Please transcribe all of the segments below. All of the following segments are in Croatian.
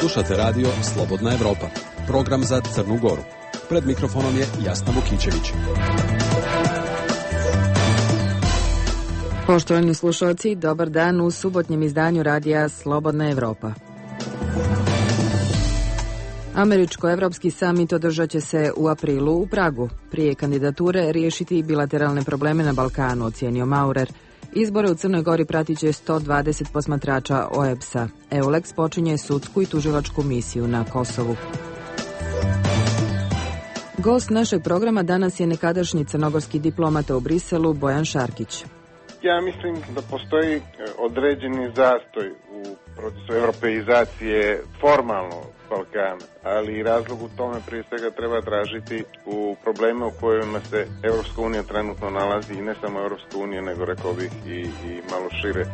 Slušate radio Slobodna Evropa, program za Crnu Goru. Pred mikrofonom je Jasna Vukićević. Poštovani slušalci, dobar dan u subotnjem izdanju radija Slobodna Evropa. Američko-evropski samit održat će se u aprilu u Pragu. Prije kandidature riješiti bilateralne probleme na Balkanu, ocijenio Maurer. Izbore u Crnoj Gori pratit će 120 posmatrača OEBS-a. EULEX počinje sudsku i tužilačku misiju na Kosovu. Gost našeg programa danas je nekadašnji crnogorski diplomata u Briselu Bojan Šarkić. Ja mislim da postoji određeni zastoj u procesu europeizacije formalno Balkana, ali razlog u tome prije svega treba tražiti u probleme u kojima se Europska unija trenutno nalazi, i ne samo Europska unija, nego rekao bih i malo šire.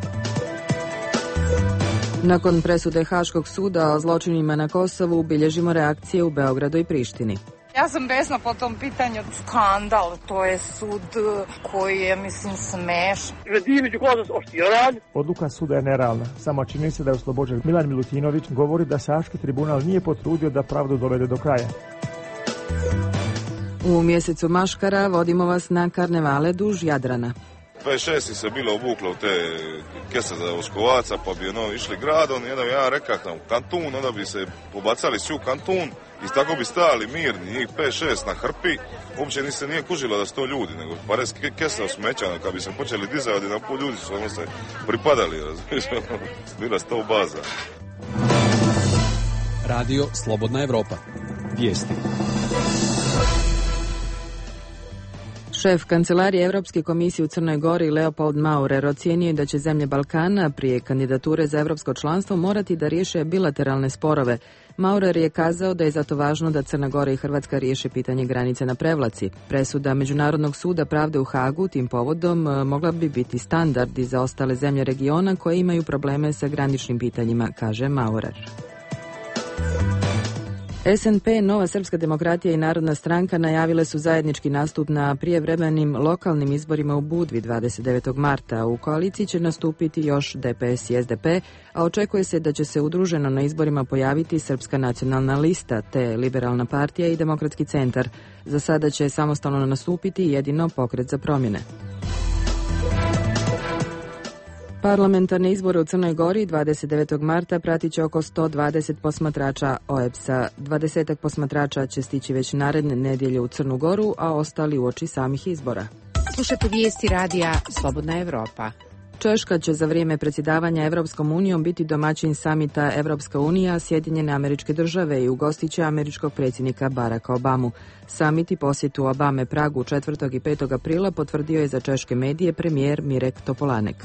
Nakon presude Haškog suda o zločinima na Kosovu bilježimo reakcije u Beogradu i Prištini. Ja sam besna po tom pitanju. Skandal, to je sud koji je, mislim, smešan. Odluka suda je nerealna. Samo čini se da je oslobođen. Milan Milutinović govori da se Haški tribunal nije potrudio da pravdu dovede do kraja. U mjesecu Maškara vodimo vas na karnevale duž Jadrana. 26 se bilo obuklo u te kese za Oskovaca, pa bi išli gradom, jedan ja rekao tam Kantun, onda bi se pobacali svi u Kantun i tako bi stali mirni, njih 5-6 na hrpi, uopće se nije kužilo da su to ljudi, nego pare kese osmećano, kad bi se počeli dizati na pol ljudi su se pripadali, bila 100 baza. Radio Slobodna Evropa. Vijesti. Šef Kancelarije Evropske komisije u Crnoj Gori Leopold Maurer ocijenio je da će zemlje Balkana prije kandidature za evropsko članstvo morati da riješe bilateralne sporove. Maurer je kazao da je zato važno da Crna Gora i Hrvatska riješe pitanje granice na Prevlaci. Presuda Međunarodnog suda pravde u Hagu tim povodom mogla bi biti standard i za ostale zemlje regiona koje imaju probleme sa graničnim pitanjima, kaže Maurer. SNP, Nova srpska demokratija i Narodna stranka najavile su zajednički nastup na prijevremenim lokalnim izborima u Budvi 29. marta. U koaliciji će nastupiti još DPS i SDP, a očekuje se da će se udruženo na izborima pojaviti Srpska nacionalna lista, te Liberalna partija i Demokratski centar. Za sada će samostalno nastupiti jedino Pokret za promjene. Parlamentarne izbore u Crnoj Gori 29. marta pratit će oko 120 posmatrača OEBS-a. 20 posmatrača će stići već naredne nedjelje u Crnu Goru, a ostali uoči samih izbora. Slušajte vijesti radija Slobodna Evropa. Češka će za vrijeme predsjedavanja Evropskom unijom biti domaćin samita Evropska unija, Sjedinjene Američke Države i ugostit će američkog predsjednika Baracka Obamu. Samit i posjetu Obame Pragu 4. i 5. aprila potvrdio je za češke medije premijer Mirek Topolanek.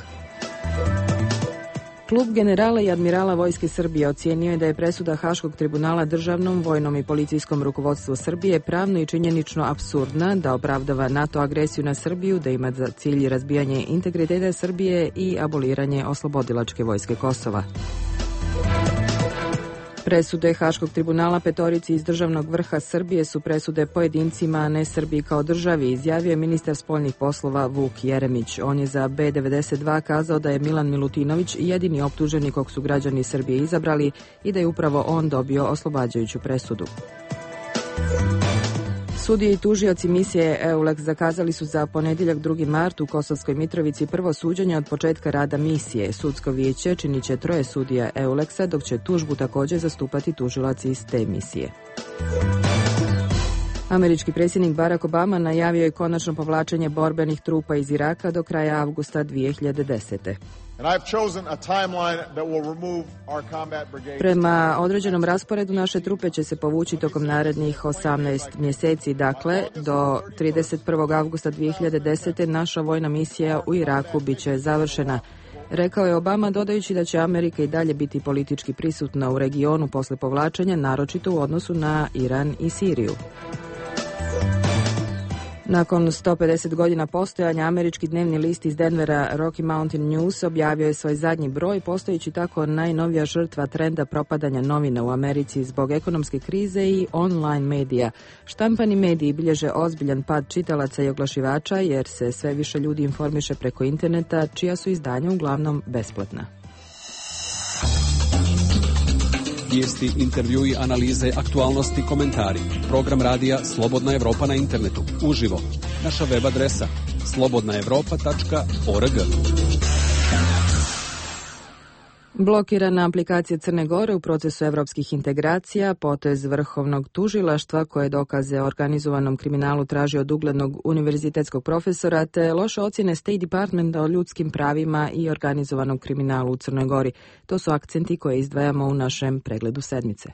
Klub generala i admirala Vojske Srbije ocijenio je da je presuda Haškog tribunala državnom, vojnom i policijskom rukovodstvu Srbije pravno i činjenično apsurdna, da opravdava NATO agresiju na Srbiju, da ima za cilj razbijanje integriteta Srbije i aboliranje oslobodilačke vojske Kosova. Presude Haškog tribunala petorici iz državnog vrha Srbije su presude pojedincima, a ne Srbiji kao državi, izjavio je ministar spoljnih poslova Vuk Jeremić. On je za B92 kazao da je Milan Milutinović jedini optuženi kog su građani Srbije izabrali i da je upravo on dobio oslobađajuću presudu. Sudije i tužioci misije EULEX zakazali su za ponedjeljak 2. mart u Kosovskoj Mitrovici prvo suđenje od početka rada misije. Sudsko vijeće činit će 3 sudija EULEX-a, dok će tužbu također zastupati tužilac iz te misije. Američki predsjednik Barack Obama najavio je konačno povlačenje borbenih trupa iz Iraka do kraja avgusta 2010. Prema određenom rasporedu naše trupe će se povući tokom narednih 18 mjeseci, dakle do 31. avgusta 2010. naša vojna misija u Iraku bit će završena, rekao je Obama, dodajući da će Amerika i dalje biti politički prisutna u regionu posle povlačenja, naročito u odnosu na Iran i Siriju. Nakon 150 godina postojanja, američki dnevni list iz Denvera Rocky Mountain News objavio je svoj zadnji broj, postojeći tako najnovija žrtva trenda propadanja novina u Americi zbog ekonomske krize i online medija. Štampani mediji bilježe ozbiljan pad čitalaca i oglašivača jer se sve više ljudi informiše preko interneta, čija su izdanja uglavnom besplatna. Vijesti, intervjui, analize, aktualnosti, komentari. Program radija Slobodna Evropa na internetu. Uživo. Naša web adresa slobodnaevropa.org. Blokirana aplikacija Crne Gore u procesu evropskih integracija, potez Vrhovnog tužilaštva koje dokaze o organizovanom kriminalu traži od uglednog univerzitetskog profesora, te loše ocjene State Departmenta o ljudskim pravima i organizovanom kriminalu u Crnoj Gori. To su akcenti koje izdvajamo u našem pregledu sedmice.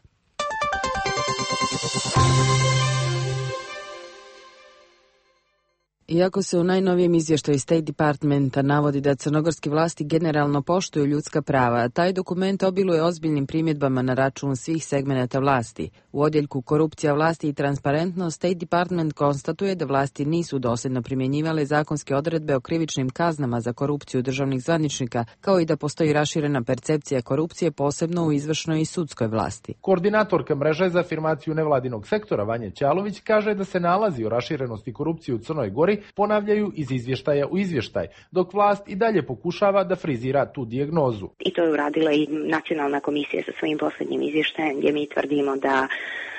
Iako se u najnovijem izvještaju State Departmenta navodi da crnogorski vlasti generalno poštuju ljudska prava, taj dokument obiluje ozbiljnim primjedbama na račun svih segmenata vlasti. U odjeljku Korupcija vlasti i transparentnost State Department konstatuje da vlasti nisu dosljedno primjenjivale zakonske odredbe o krivičnim kaznama za korupciju državnih zvaničnika, kao i da postoji raširena percepcija korupcije posebno u izvršnoj i sudskoj vlasti. Koordinatorka mreže za afirmaciju nevladinog sektora Vanja Ćalović kaže da se nalazi o raširenosti korupcije u Crnoj Gori ponavljaju iz izvještaja u izvještaj, dok vlast i dalje pokušava da frizira tu dijagnozu. I to je uradila i Nacionalna komisija sa svojim posljednjim izvještajem, gdje mi tvrdimo da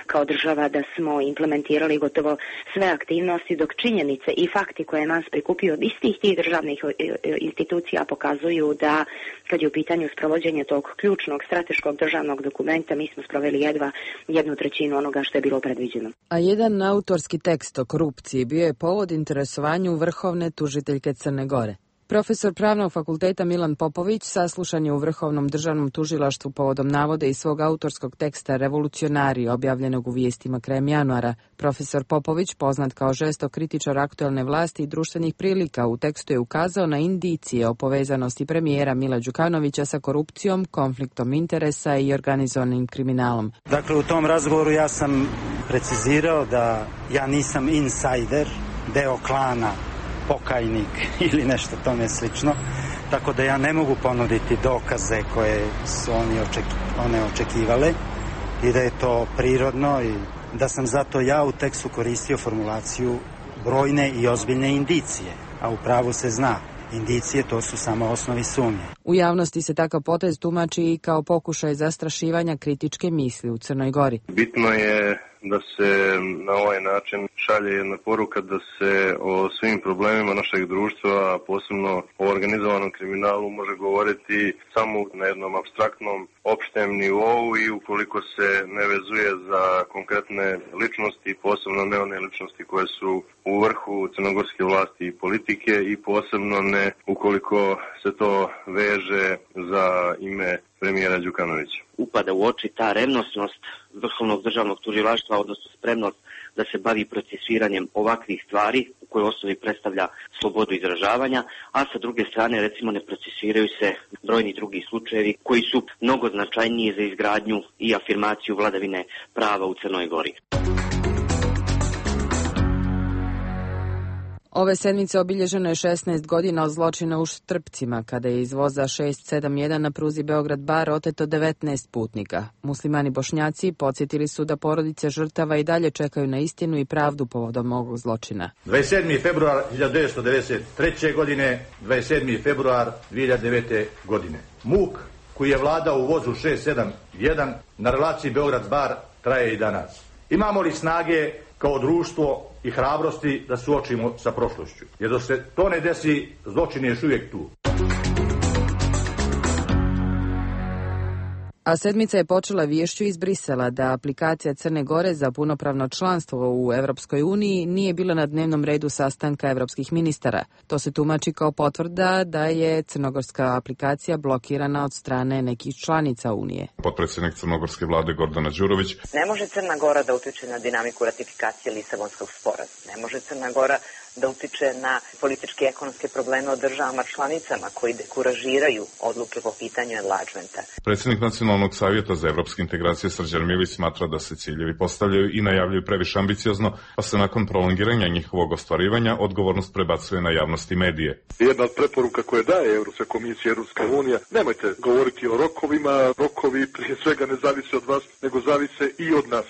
kao država da smo implementirali gotovo sve aktivnosti, dok činjenice i fakti koje je nas prikupio od istih tih državnih institucija pokazuju da kad je u pitanju sprovođenje tog ključnog strateškog državnog dokumenta, mi smo sproveli jedva 1/3 onoga što je bilo predviđeno. A jedan autorski tekst o korupciji bio je povod interesovanju vrhovne tužiteljke Crne Gore. Profesor Pravnog fakulteta Milan Popović saslušan je u Vrhovnom državnom tužilaštvu povodom navode iz svog autorskog teksta Revolucionari, objavljenog u Vijestima krajem januara. Profesor Popović, poznat kao žestok kritičar aktuelne vlasti i društvenih prilika, u tekstu je ukazao na indicije o povezanosti premijera Mila Đukanovića sa korupcijom, konfliktom interesa i organizovanim kriminalom. Dakle, u tom razgovoru ja sam precizirao da ja nisam insider, deo klana, pokajnik ili nešto tome slično, tako da ja ne mogu ponuditi dokaze koje su one očekivale i da je to prirodno i da sam zato ja u tekstu koristio formulaciju brojne i ozbiljne indicije, a u pravu se zna. Indicije to su samo osnovi sumnje. U javnosti se takav potez tumači i kao pokušaj zastrašivanja kritičke misli u Crnoj Gori. Bitno je da se na ovaj način šalje jedna poruka da se o svim problemima našeg društva, a posebno o organizovanom kriminalu, može govoriti samo na jednom apstraktnom, opštem nivou i ukoliko se ne vezuje za konkretne ličnosti, posebno ne one ličnosti koje su u vrhu crnogorske vlasti i politike i posebno ne ukoliko se to veže za ime premijera Đukanovića. Upada u oči ta revnosnost Vrhovnog državnog tužilaštva, odnosno spremnost da se bavi procesuiranjem ovakvih stvari u kojoj osnovi predstavlja slobodu izražavanja, a sa druge strane recimo ne procesuiraju se brojni drugi slučajevi koji su mnogo značajniji za izgradnju i afirmaciju vladavine prava u Crnoj Gori. Ove sedmice obilježeno je 16 godina od zločina u Štrpcima, kada je iz voza 671 na pruzi Beograd-Bar oteto 19 putnika. Muslimani Bošnjaci podsjetili su da porodice žrtava i dalje čekaju na istinu i pravdu povodom ovog zločina. 27. februar 1993. godine, 27. februar 2009. godine. Muk koji je vladao u vozu 671 na relaciji Beograd-Bar traje i danas. Imamo li snage kao društvo i hrabrosti da suočimo sa prošlošću? Jer dok se to ne desi, zločin je još uvijek tu. A sedmica je počela viješću iz Brisela da aplikacija Crne Gore za punopravno članstvo u Europskoj uniji nije bila na dnevnom redu sastanka evropskih ministara. To se tumači kao potvrda da je crnogorska aplikacija blokirana od strane nekih članica Unije. Potpredsjednik crnogorske vlade Gordana Đurović. Ne može Crna Gora da utiče na dinamiku ratifikacije Lisabonskog sporazuma. Ne može Crna Gora da utiče na političke i ekonomske probleme od državama članicama koji dekuražiraju odluke po pitanju enlargementa. Predsjednik Nacionalnog savjeta za evropske integracije Srđan Milić smatra da se ciljevi postavljaju i najavljuju previše ambiciozno, pa se nakon prolongiranja njihovog ostvarivanja odgovornost prebacuje na javnost i medije. Jedna od preporuka koje daje Europska komisija i Europska unija, nemojte govoriti o rokovima, rokovi prije svega ne zavise od vas, nego zavise i od nas.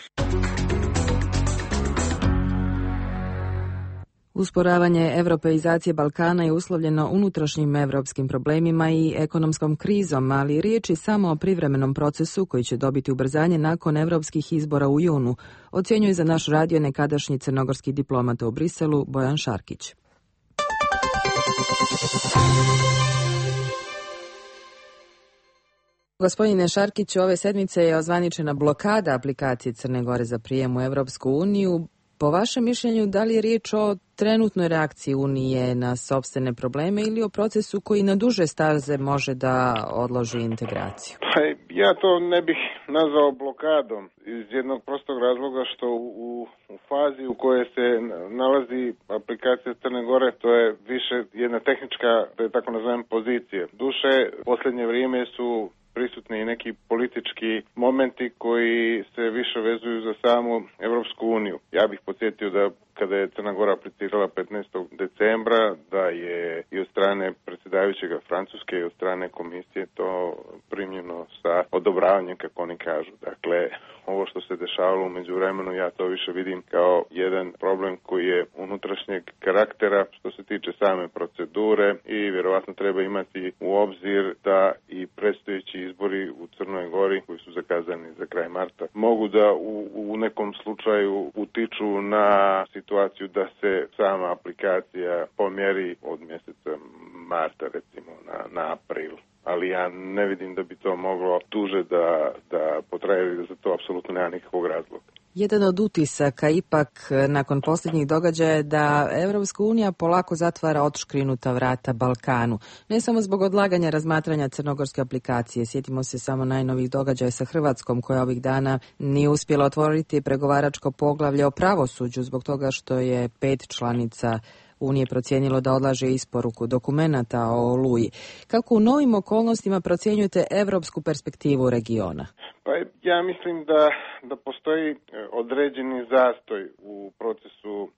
Usporavanje europeizacije Balkana je uslovljeno unutrašnjim evropskim problemima i ekonomskom krizom, ali riječ je samo o privremenom procesu koji će dobiti ubrzanje nakon evropskih izbora u junu, ocjenjuje za naš radio nekadašnji crnogorski diplomata u Briselu Bojan Šarkić. Gospodine Šarkić, ove sedmice je ozvaničena blokada aplikacije Crne Gore za prijem u Evropsku uniju. Po vašem mišljenju, da li je riječ o trenutnoj reakciji Unije na sopstvene probleme ili o procesu koji na duže staze može da odloži integraciju? Ja to ne bih nazvao blokadom iz jednog prostog razloga što u fazi u kojoj se nalazi aplikacija Crne Gore, to je više jedna tehnička, da je tako nazovem, pozicija. Duše, posljednje vrijeme su prisutni i neki politički momenti koji se više vezuju za samu Evropsku uniju. Ja bih podsjetio da kada je Crna Gora aplicirala 15. decembra, da je i od strane predsjedavajućega Francuske i od strane komisije to primljeno sa odobravanjem, kako oni kažu. Dakle, ovo što se dešavalo u međuvremenu, ja to više vidim kao jedan problem koji je unutrašnjeg karaktera što se tiče same procedure i vjerovatno treba imati u obzir da i predstojeći izbori u Crnoj Gori, koji su zakazani za kraj marta, mogu da u nekom slučaju utiču na situaciju da se sama aplikacija pomjeri od mjeseca marta recimo na april. Ali ja ne vidim da bi to moglo duže da potraje i da za to apsolutno nema nikakvog razloga. Jedan od utisaka ipak nakon posljednjih događaja je da Evropska unija polako zatvara odškrinuta vrata Balkanu. Ne samo zbog odlaganja razmatranja crnogorske aplikacije. Sjetimo se samo najnovih događaja sa Hrvatskom koja ovih dana nije uspjela otvoriti pregovaračko poglavlje o pravosuđu zbog toga što je 5 članica Unije procijenilo da odlaže isporuku dokumenata o Oluji. Kako u novim okolnostima procjenjujete evropsku perspektivu regiona? Pa ja mislim da postoji određeni zastoj u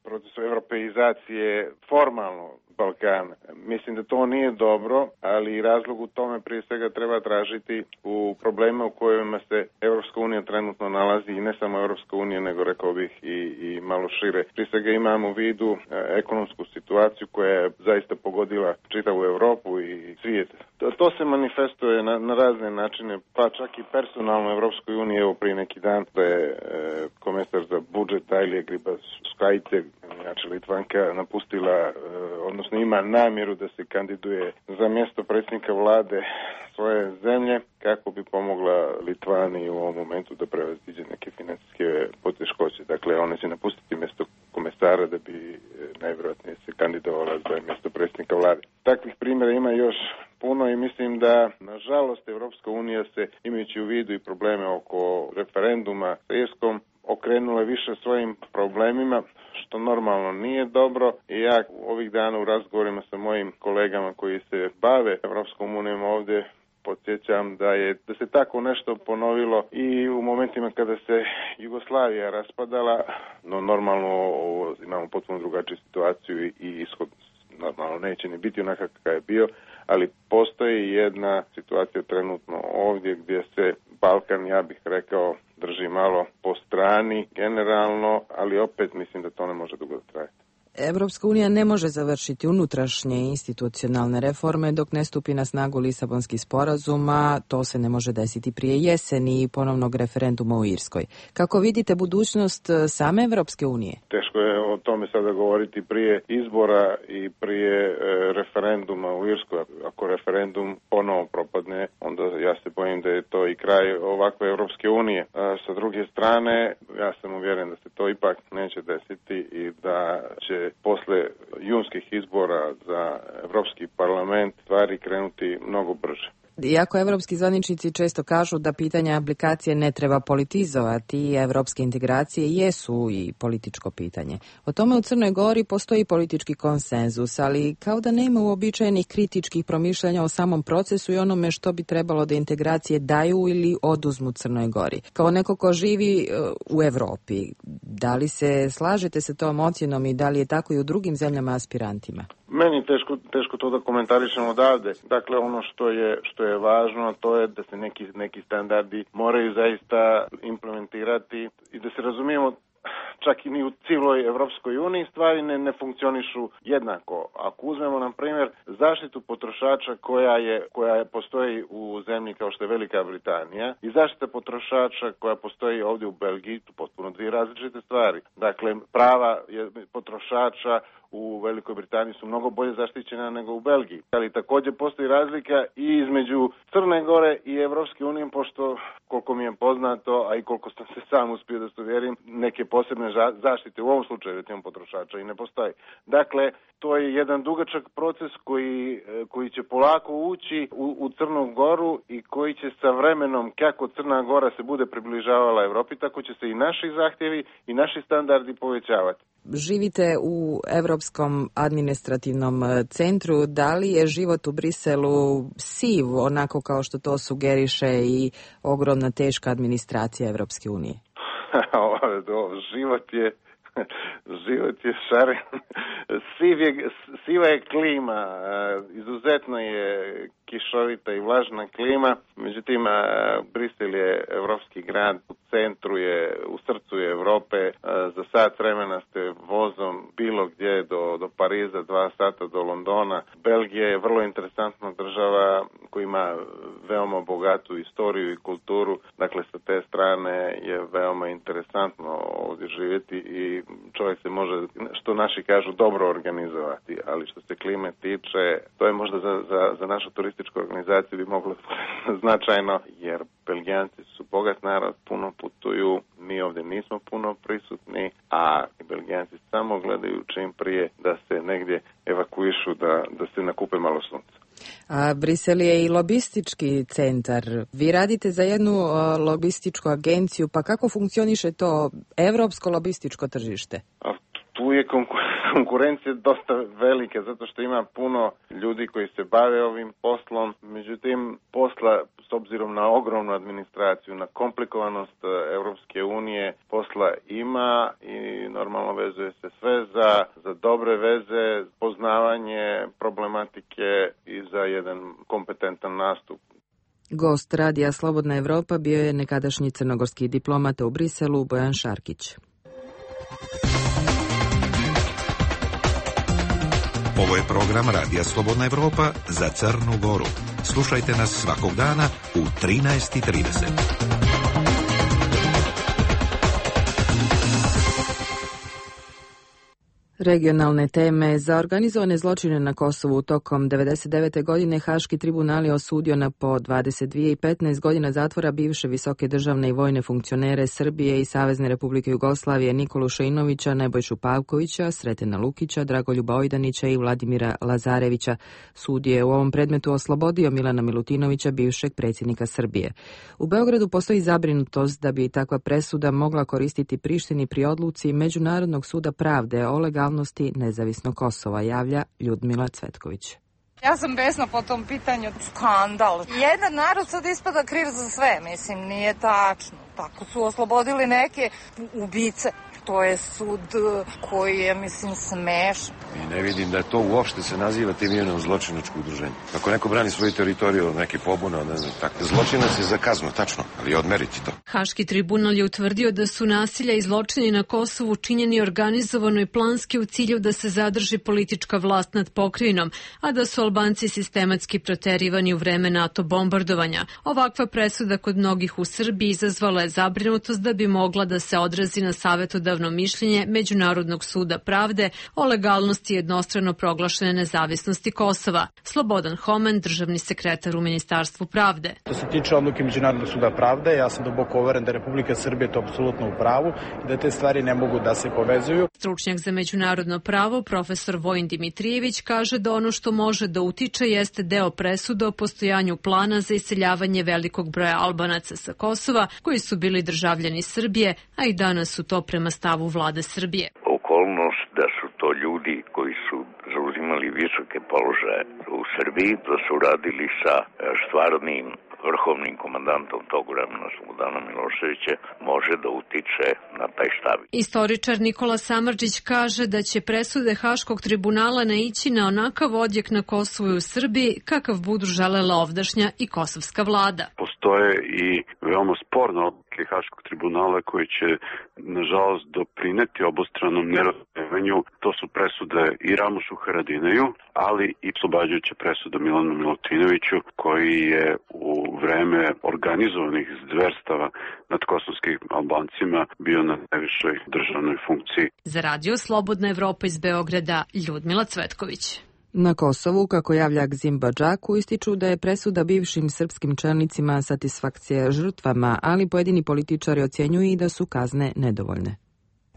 procesu europeizacije formalno Balkana. Mislim da to nije dobro, ali razlog u tome prije svega treba tražiti u problema u kojima se Europska unija trenutno nalazi i ne samo Europska unija, nego rekao bih i malo šire. Prije svega imamo u vidu ekonomsku situaciju koja je zaista pogodila čitavu Europu i svijet. To se manifestuje na razne načine, pa čak i personalno Europskoj uniji. Evo prije neki dan da je komesar za budžet Ailija Grybauskaitė, inače Litvanka, napustila, odnosno ima namjeru da se kandiduje za mjesto predsjednika vlade svoje zemlje kako bi pomogla Litvani u ovom momentu da prevaziđe neke financijske poteškoće. Dakle, ona će napustiti mjesto komesara da bi najvjerojatnije se kandidovala za mjesto predsjednika vlade. Takvih primjera ima još puno i mislim da, nažalost, Evropska unija se, imajući u vidu i probleme oko referenduma sa Irskom, okrenula više svojim problemima, što normalno nije dobro. I ja ovih dana u razgovorima sa mojim kolegama koji se bave Evropskom unijom ovdje podsjećam da se tako nešto ponovilo i u momentima kada se Jugoslavija raspadala, no normalno imamo potpuno drugačiju situaciju i ishod normalno neće ni biti onakav kakav je bio, ali postoji jedna situacija trenutno ovdje gdje se Balkan, ja bih rekao, drži malo po strani generalno, ali opet mislim da to ne može dugo trajati. Evropska unija ne može završiti unutrašnje institucionalne reforme dok ne stupi na snagu Lisabonski sporazum, a to se ne može desiti prije jeseni i ponovnog referenduma u Irskoj. Kako vidite budućnost same Evropske unije? Teško je o tome sada govoriti prije izbora i prije referenduma u Irskoj. Ako referendum ponovo propadne, onda ja se bojim da je to i kraj ovakve Evropske unije. Sa druge strane, ja sam uvjeren da se to ipak neće desiti i da će posle junskih izbora za Evropski parlament stvari krenuti mnogo brže. Iako evropski zvaničnici često kažu da pitanja aplikacije ne treba politizovati, evropske integracije jesu i političko pitanje. O tome u Crnoj Gori postoji politički konsenzus, ali kao da nema uobičajenih kritičkih promišljanja o samom procesu i onome što bi trebalo da integracije daju ili oduzmu Crnoj Gori. Kao neko ko živi u Evropi, da li se slažete sa tom ocjenom i da li je tako i u drugim zemljama aspirantima? Meni teško to da komentarišem odavde. Dakle, ono što je važno, to je da se neki standardi moraju zaista implementirati i da se razumijemo, čak i ni u cijeloj Evropskoj uniji stvari ne funkcionišu jednako. Ako uzmemo, na primjer, zaštitu potrošača koja postoji u zemlji kao što je Velika Britanija i zaštita potrošača koja postoji ovdje u Belgiji, tu potpuno dvije različite stvari. Dakle, prava potrošača u Velikoj Britaniji su mnogo bolje zaštićena nego u Belgiji. Ali također postoji razlika i između Crne Gore i Evropske unije, pošto koliko mi je poznato, a i koliko sam se sam uspio da se uvjerim, neke posebne zaštite u ovom slučaju recimo potrošača i ne postoji. Dakle, to je jedan dugačak proces koji će polako ući u Crnu Goru i koji će sa vremenom, kako Crna Gora se bude približavala Evropi, tako će se i naši zahtjevi i naši standardi povećavati. Živite u Europskom administrativnom centru. Da li je život u Briselu siv, onako kao što to sugeriše i ogromna teška administracija Evropske unije? Život je šaren. Siva je klima, izuzetno je kišovita i vlažna klima, međutim Brisel je evropski grad, u centru je, u srcu je Europe, za sat vremena ste vozom bilo gdje do Pariza, 2 sata do Londona. Belgija je vrlo interesantna država koja ima veoma bogatu istoriju i kulturu, dakle sa te strane je veoma interesantno ovdje živjeti i čovjek se može, što naši kažu, dobro organizovati, ali što se klime tiče, to je možda za našu turističku organizaciju bi moglo značajno, jer Belgijanci su bogat narod, puno putuju, mi ovdje nismo puno prisutni, a Belgijanci samo gledaju čim prije da se negdje evakuišu, da se nakupe malo sunca. A Brisel je i lobistički centar. Vi radite za jednu lobističku agenciju, pa kako funkcioniše to evropsko lobističko tržište? Tu je konkurencija dosta velika, zato što ima puno ljudi koji se bave ovim poslom. Međutim, posla, s obzirom na ogromnu administraciju, na komplikovanost Europske unije, posla ima i normalno vezuje se sve za dobre veze, poznavanje problematike i za jedan kompetentan nastup. Gost radija Slobodna Evropa bio je nekadašnji crnogorski diplomat u Briselu Bojan Šarkić. Ovo je program Radija Slobodna Evropa za Crnu Goru. Slušajte nas svakog dana u 13:30. Regionalne teme. Za organizovane zločine na Kosovu tokom 1999. godine Haški tribunal je osudio na po 22 i 15 godina zatvora bivše visoke državne i vojne funkcionere Srbije i Savezne Republike Jugoslavije Nikolu Šeinovića, Nebojšu Pavkovića, Sretena Lukića, Dragoljuba Ojdanića i Vladimira Lazarevića. Sud je u ovom predmetu oslobodio Milana Milutinovića, bivšeg predsjednika Srbije. U Beogradu postoji zabrinutost da bi takva presuda mogla koristiti Prištini pri odluci Međunarodnog suda pravde o legalnosti nezavisnog Kosova, javlja Ljudmila Cvetković. Ja sam besna po tom pitanju, skandal. Jedan narod sad ispada kriv za sve, mislim, nije tačno. Tako su oslobodili neke ubice. To je sud koji je, mislim, smešan. I ne vidim da je to uopšte se naziva tim imenom zločinačko udruženje. Ako neko brani svoju teritoriju od neke pobune, ne znam, tako. Zločinac je za kaznu, tačno, ali odmeriti to. Haški tribunal je utvrdio da su nasilja i zločini na Kosovu činjeni organizovano i planski u cilju da se zadrži politička vlast nad pokrajinom, a da su Albanci sistematski proterivani u vreme NATO bombardovanja. Ovakva presuda kod mnogih u Srbiji izazvala je zabrinutost da bi mogla da se odrazi na savetodavno mišljenje Međunarodnog suda pravde o legalnosti jednostrano proglašene nezavisnosti Kosova. Slobodan Homen, državni sekretar u Ministarstvu pravde. Što se tiče odluke Međunarodnog suda pravde, ja sam duboko uveren da Republika Srbije to apsolutno u pravu i da te stvari ne mogu da se povezuju. Stručnjak za međunarodno pravo, profesor Vojin Dimitrijević, kaže da ono što može da utiče jeste deo presuda o postojanju plana za iseljavanje velikog broja Albanaca sa Kosova, koji su bili državljani Srbije, a i danas su to prema stavu vlade Srbije. Okolnost da su to ljudi koji su zauzimali visoke položaje u Srbiji, da su radili sa stvarnim vrhovnim komandantom tog vremena Slobodana Miloševića, može da utiče na taj stav. Istoričar Nikola Samardžić kaže da će presude Haškog tribunala naići na onakav odjek na Kosovu i u Srbiji kakav budu želela ovdašnja i kosovska vlada. Postoje i veoma sporne odluke odluke Haškog tribunala koji će, nažalost, doprineti obostranom nerazumevanju. To su presude i Ramušu Haradinaju, ali i oslobađajuća presuda Milanu Milutinoviću, koji je u vreme organizovanih zverstava nad kosovskim Albancima bio na najvišoj državnoj funkciji. Za Radio Slobodna Evropa iz Beograda, Ljudmila Cvetković. Na Kosovu, kako javlja Gzim Badžaku, ističu da je presuda bivšim srpskim čelnicima satisfakcija žrtvama, ali pojedini političari ocjenjuju i da su kazne nedovoljne.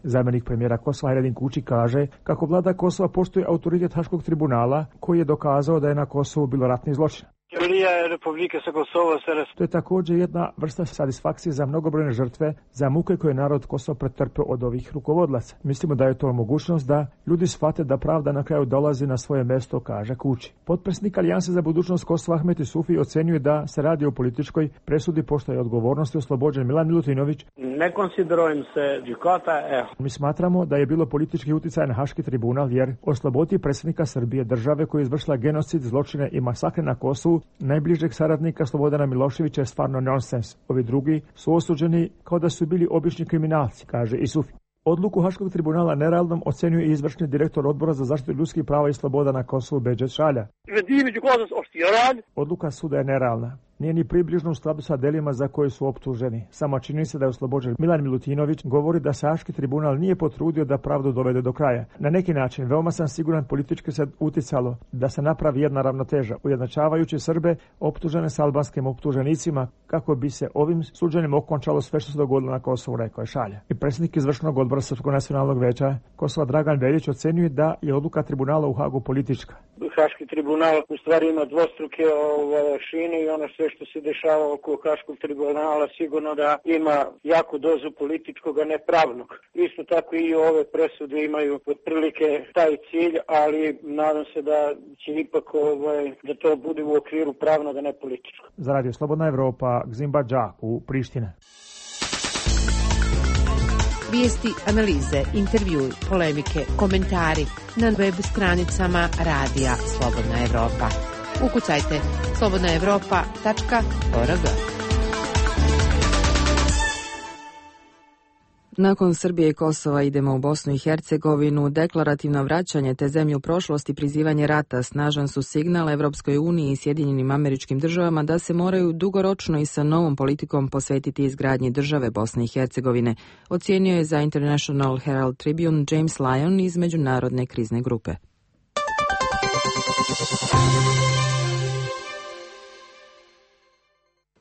Zamjenik premijera Kosova Hajredin Kuči kaže kako vlada Kosova poštuje autoritet Haškog tribunala koji je dokazao da je na Kosovu bilo ratni zločin. To je također jedna vrsta satisfakcije za mnogobrojne žrtve, za muke koje je narod Kosova pretrpeo od ovih rukovodlaca. Mislimo da je to mogućnost da ljudi shvate da pravda na kraju dolazi na svoje mjesto, kaže Kuči. Potpredsjednik Alijanse za budućnost Kosova Ahmet Isufi ocenjuje da se radi o političkoj presudi pošto je odgovornosti oslobođen Milan Milutinović. Ne konsiderujem se džikota. Mi smatramo da je bilo politički utjecaj na Haški tribunal jer osloboditi predsjednika Srbije, države koja je izvršila genocid, zločine i masakre na Kosovu, najbližeg saradnika Slobodana Miloševića je stvarno nonsens. Ovi drugi su osuđeni kao da su bili obični kriminalci, kaže Isufi. Odluku Haškog tribunala nerealnom ocenjuje i izvršni direktor Odbora za zaštitu ljudskih prava i sloboda na Kosovu Bedžet Šalja. Odluka suda je nerealna. Nije ni približno u skladu sa delima za koje su optuženi. Samo čini se da je oslobođen Milan Milutinović govori da se Haški tribunal nije potrudio da pravdu dovede do kraja. Na neki način, veoma sam siguran, politički se uticalo da se napravi jedna ravnoteža, ujednačavajući Srbe optužene s albanskim optuženicima kako bi se ovim suđenjem okončalo sve što se dogodilo na Kosovu, rekao je Šalja. I predsjednik izvršnog odbora Srpskog nacionalnog veća Kosova Dragan Veljić ocenjuje da je odluka tribunala u Hagu politička. Haški tribunal u stvari ima dvostruke šine i ono sve što se dešava oko Haškog tribunala sigurno da ima jaku dozu političkog, a ne pravnog. Isto tako i ove presude imaju otprilike taj cilj, ali nadam se da će ipak da to bude u okviru pravnog, a ne političkog. Za Radio Slobodna Evropa, Gzim Badžak u Prištine. Vijesti, analize, intervjui, polemike, komentari na web stranicama Radija Slobodna Evropa. Ukucajte slobodnaevropa.org. Nakon Srbije i Kosova idemo u Bosnu i Hercegovinu. Deklarativno vraćanje te zemlje u prošlost i prizivanje rata snažan su signal Evropskoj uniji i Sjedinjenim Američkim Državama da se moraju dugoročno i sa novom politikom posvetiti izgradnji države Bosne i Hercegovine, ocijenio je za International Herald Tribune James Lyon iz Međunarodne krizne grupe.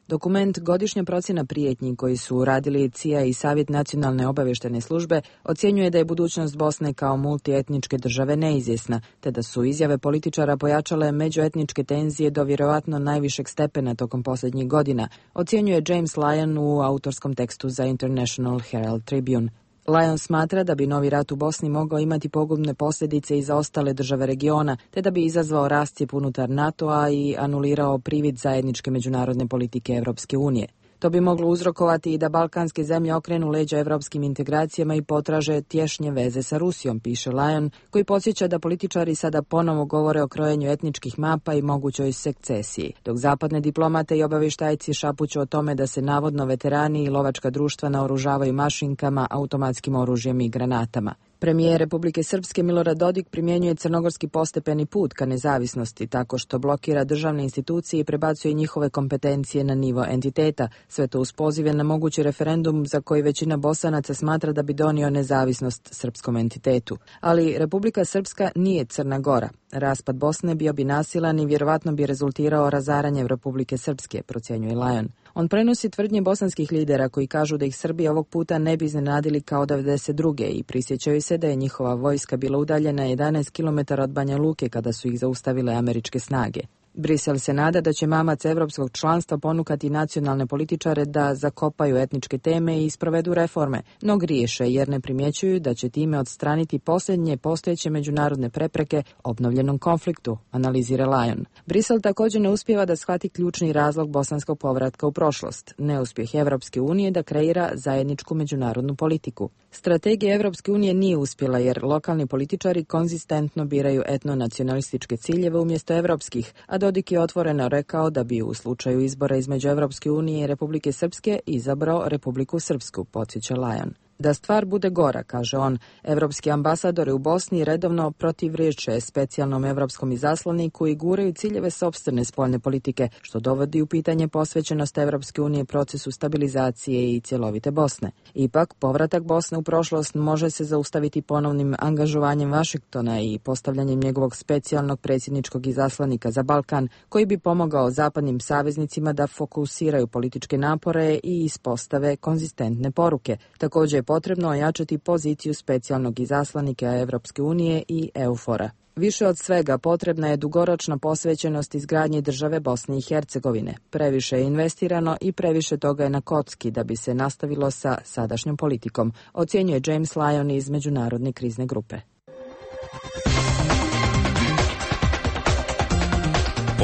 Dokument Godišnja procjena prijetnji koji su radili CIA i Savjet nacionalne obavještajne službe ocjenjuje da je budućnost Bosne kao multietničke države neizvjesna, te da su izjave političara pojačale međuetničke tenzije do vjerojatno najvišeg stepena tokom posljednjih godina, ocjenjuje James Lyon u autorskom tekstu za International Herald Tribune. Lyon smatra da bi novi rat u Bosni mogao imati pogubne posljedice i za ostale države regiona, te da bi izazvao rascijep unutar NATO-a i anulirao privid zajedničke međunarodne politike Evropske unije. To bi moglo uzrokovati i da balkanske zemlje okrenu leđa evropskim integracijama i potraže tješnje veze sa Rusijom, piše Lyon, koji podsjeća da političari sada ponovo govore o krojenju etničkih mapa i mogućoj sekcesiji, dok zapadne diplomate i obavještajci šapuću o tome da se navodno veterani i lovačka društva naoružavaju mašinkama, automatskim oružjem i granatama. Premijer Republike Srpske Milorad Dodik primjenjuje crnogorski postepeni put ka nezavisnosti tako što blokira državne institucije i prebacuje njihove kompetencije na nivo entiteta, sve to uz pozive na mogući referendum za koji većina Bosanaca smatra da bi donio nezavisnost srpskom entitetu. Ali Republika Srpska nije Crna Gora. Raspad Bosne bio bi nasilan i vjerovatno bi rezultirao razaranjem Republike Srpske, procjenjuje Lyon. On prenosi tvrdnje bosanskih lidera koji kažu da ih Srbi ovog puta ne bi iznenadili kao 92. i prisjećaju se da je njihova vojska bila udaljena 11 km od Banja Luke kada su ih zaustavile američke snage. Brisel se nada da će mamac evropskog članstva ponukati nacionalne političare da zakopaju etničke teme i sprovedu reforme, no griješe jer ne primjećuju da će time odstraniti posljednje postojeće međunarodne prepreke obnovljenom konfliktu, analizira Lyon. Brisel također ne uspijeva da shvati ključni razlog bosanskog povratka u prošlost, neuspjeh Evropske unije da kreira zajedničku međunarodnu politiku. Strategija Evropske unije nije uspjela jer lokalni političari konzistentno biraju etnonacionalističke ciljeve umjesto evropskih, a Dodik je otvoreno rekao da bi u slučaju izbora između Evropske unije i Republike Srpske izabrao Republiku Srpsku, podsjeća Lajon. Da stvar bude gora, kaže on, evropski ambasadori u Bosni redovno protivriječe specijalnom evropskom izaslaniku i guraju ciljeve sopstvene spoljne politike, što dovodi u pitanje posvećenost Evropske unije procesu stabilizacije i cjelovite Bosne. Ipak, povratak Bosne u prošlost može se zaustaviti ponovnim angažovanjem Vašingtona i postavljanjem njegovog specijalnog predsjedničkog izaslanika za Balkan, koji bi pomogao zapadnim saveznicima da fokusiraju političke napore i ispostave konzistentne poruke. Također je potrebno ojačati poziciju specijalnog izaslanika Evropske unije i EUFOR-a. Više od svega potrebna je dugoročna posvećenost izgradnji države Bosne i Hercegovine. Previše je investirano i previše toga je na kocki da bi se nastavilo sa sadašnjom politikom, ocjenjuje James Lyon iz Međunarodne krizne grupe.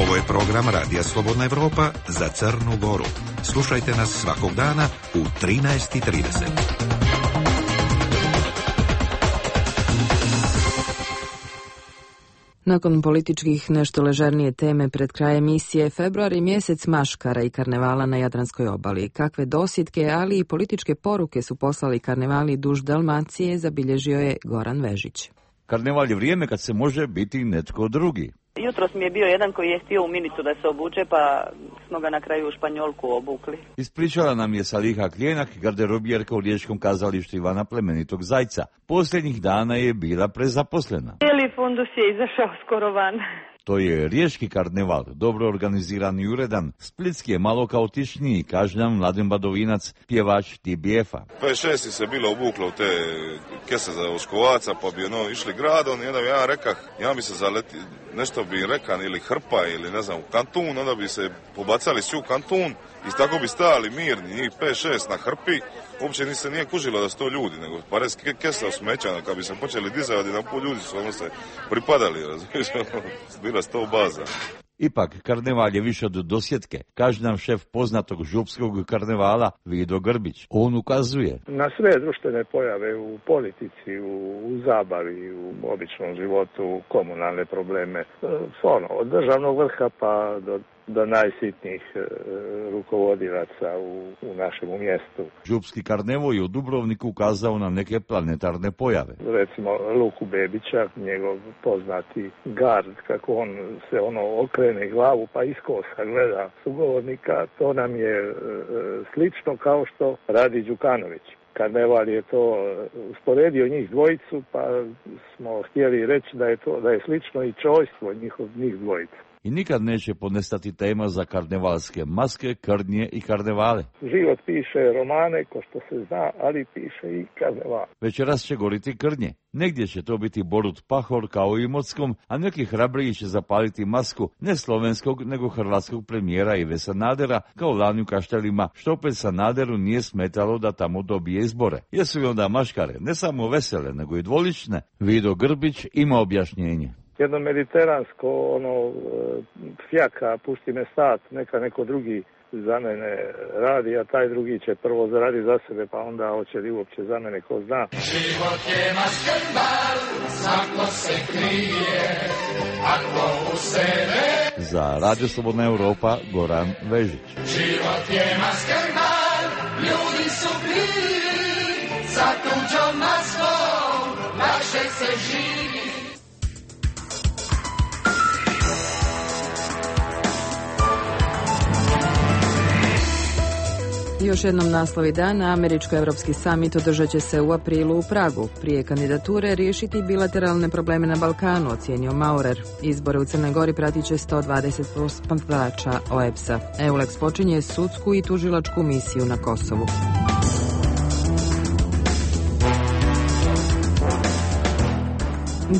Ovo je program Radija Slobodna Evropa za Crnu Goru. Slušajte nas svakog dana u 13:30. Nakon političkih nešto ležernije teme pred kraj emisije, februar je mjesec maškara i karnevala na Jadranskoj obali. Kakve dosjetke, ali i političke poruke su poslali karnevali duž Dalmacije, zabilježio je Goran Vežić. Karneval je vrijeme kad se može biti netko drugi. Jutros mi je bio jedan koji je htio u minicu da se obuče, pa smo ga na kraju u Španjolku obukli. Ispričala nam je Saliha Klijenak, garderobjerka u Riječkom kazalištu Ivana Plemenitog Zajca. Posljednjih dana je bila prezaposlena. Cijeli fundus je izašao skoro van. To je riječki karneval, dobro organiziran i uredan. Splitski je malo kaotičniji, kaže nam Mladen Badovinac, pjevač TBF-a. 5-6 se bilo obuklo u te kese za oškovaca, pa bi išli gradom i onda bi ja rekao, ja bi se zaleti, nešto bi rekan ili hrpa ili ne znam, kantun, onda bi se pobacali svi u kantun i tako bi stajali mirni, njih 5-6 na hrpi. Uopće se nije kužilo da su to ljudi, nego pare kesa smeća, kad bi se počeli dizati, na pol ljudi su se pripadali, razumiješ, bila 100 baza. Ipak, karneval je više od dosjetke, kaže nam šef poznatog župskog karnevala Vido Grbić. On ukazuje na sve društvene pojave u politici, u zabavi, u običnom životu, komunalne probleme, od državnog vrha pa do najsitnijih rukovodilaca u našem mjestu. Župski karneval je u Dubrovniku ukazao na neke planetarne pojave. Recimo Luku Bebića, njegov poznati gard, kako on se okrene glavu pa iskosa gleda sugovornika, to nam je slično kao što radi Đukanović. Karneval je to usporedio njih dvojicu, pa smo htjeli reći da je slično i čojstvo njih dvojica. I nikad neće ponestati tema za karnevalske maske, krnje i karnevale. Život piše romane, ko što se zna, ali piše i karneval. Večeras će goriti krnje. Negdje će to biti Borut Pahor kao u Imotskom, a neki hrabriji će zapaliti masku ne slovenskog nego hrvatskog premijera Ive Sanadera kao lani u Kaštelima, što opet Sanaderu nije smetalo da tamo dobije izbore. Jesu li onda maškare ne samo vesele nego i dvolične? Vido Grbić ima objašnjenje. Jedno mediteransko, fjaka, pušti me sat, neka neko drugi za mene radi, a taj drugi će prvo zaradi za sebe, pa onda hoće li uopće za mene, ko zna. Život je maskenbal, svako se krije, ako u sebe... Za Radio Slobodna Evropa, Goran Vežić. Život je maskenbal, ljudi su bili, za tuđom maskom, lakše se živi. Još jednom naslovi dana, američko-evropski summit održat će se u aprilu u Pragu. Prije kandidature riješiti bilateralne probleme na Balkanu, ocijenio Maurer. Izbore u Crnoj Gori pratit će 120 posmatrača OEBS-a. EULEX počinje sudsku i tužilačku misiju na Kosovu.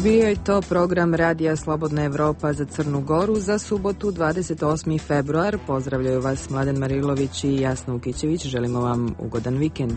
Bio je to program Radija Slobodna Evropa za Crnu Goru za subotu 28. februar. Pozdravljaju vas Mladen Marilović i Jasna Ukićević. Želimo vam ugodan vikend.